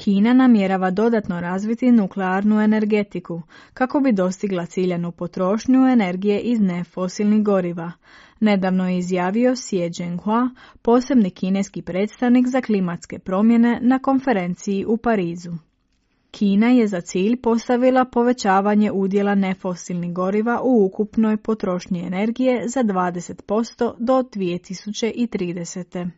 Kina namjerava dodatno razviti nuklearnu energetiku kako bi dostigla ciljanu potrošnju energije iz nefosilnih goriva. Nedavno je izjavio Xie Zhenhua, posebni kineski predstavnik za klimatske promjene na konferenciji u Parizu. Kina je za cilj postavila povećavanje udjela nefosilnih goriva u ukupnoj potrošnji energije za 20% do 2030.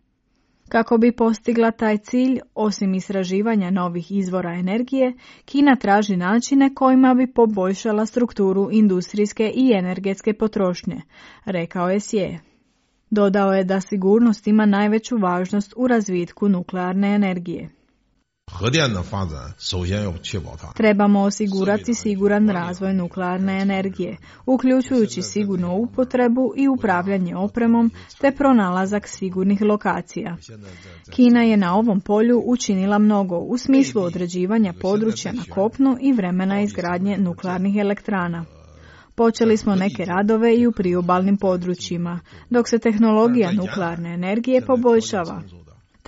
Kako bi postigla taj cilj, osim istraživanja novih izvora energije, Kina traži načine kojima bi poboljšala strukturu industrijske i energetske potrošnje, rekao je Xie. Dodao je da sigurnost ima najveću važnost u razvitku nuklearne energije. Trebamo osigurati siguran razvoj nuklearne energije, uključujući sigurnu upotrebu i upravljanje opremom te pronalazak sigurnih lokacija. Kina je na ovom polju učinila mnogo u smislu određivanja područja na kopnu i vremena izgradnje nuklearnih elektrana. Počeli smo neke radove i u priobalnim područjima, dok se tehnologija nuklearne energije poboljšava.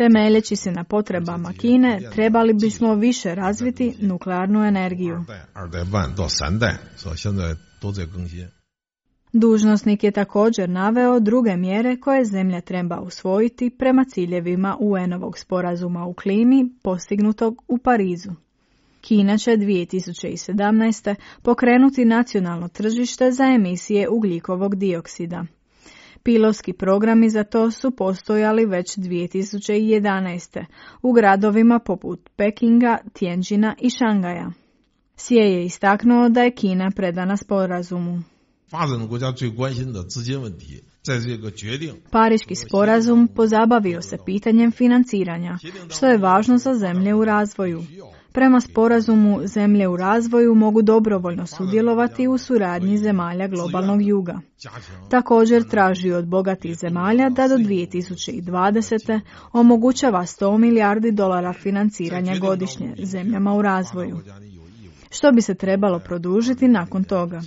Temeljeći se na potrebama Kine, trebali bismo više razviti nuklearnu energiju. Dužnosnik je također naveo druge mjere koje zemlja treba usvojiti prema ciljevima UN-ovog sporazuma u klimi postignutog u Parizu. Kina će 2017. pokrenuti nacionalno tržište za emisije ugljikovog dioksida. Pilotski programi za to su postojali već 2011. u gradovima poput Pekinga, Tianjina i Šangaja. Xie je istaknuo da je Kina predana sporazumu. Pariški sporazum pozabavio se pitanjem financiranja, što je važno za zemlje u razvoju. Prema sporazumu, zemlje u razvoju mogu dobrovoljno sudjelovati u suradnji zemalja globalnog juga. Također traži od bogatih zemalja da do 2020. omogućava $100 milijardi financiranja godišnje zemljama u razvoju, što bi se trebalo produžiti nakon toga.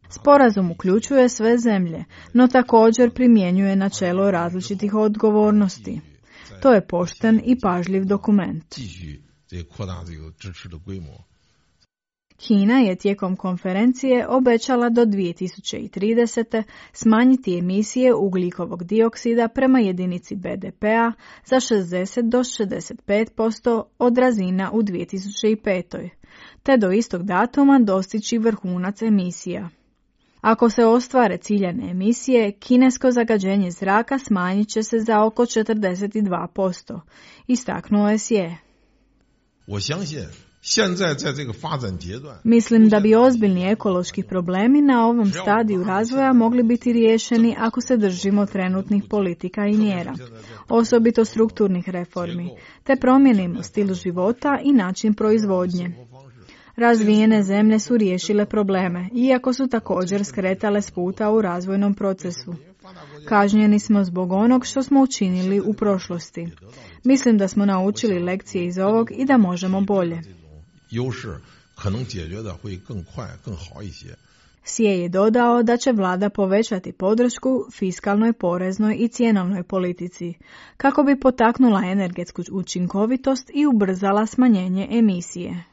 Sporazum uključuje sve zemlje, no također primjenjuje načelo različitih odgovornosti. To je pošten i pažljiv dokument. Kina je tijekom konferencije obećala do 2030. smanjiti emisije ugljikovog dioksida prema jedinici BDP-a za 60 do 65% od razina u 2005. te do istog datuma dostići vrhunac emisija. Ako se ostvare ciljane emisije, kinesko zagađenje zraka smanjit će se za oko 42%, istaknuo je Xie. Mislim da bi ozbiljni ekološki problemi na ovom stadiju razvoja mogli biti riješeni ako se držimo trenutnih politika i mjera, osobito strukturnih reformi, te promijenimo stil života i način proizvodnje. Razvijene zemlje su riješile probleme, iako su također skretale s puta u razvojnom procesu. Kažnjeni smo zbog onog što smo učinili u prošlosti. Mislim da smo naučili lekcije iz ovog i da možemo bolje. Xie je dodao da će vlada povećati podršku fiskalnoj, poreznoj i cjenovnoj politici, kako bi potaknula energetsku učinkovitost i ubrzala smanjenje emisije.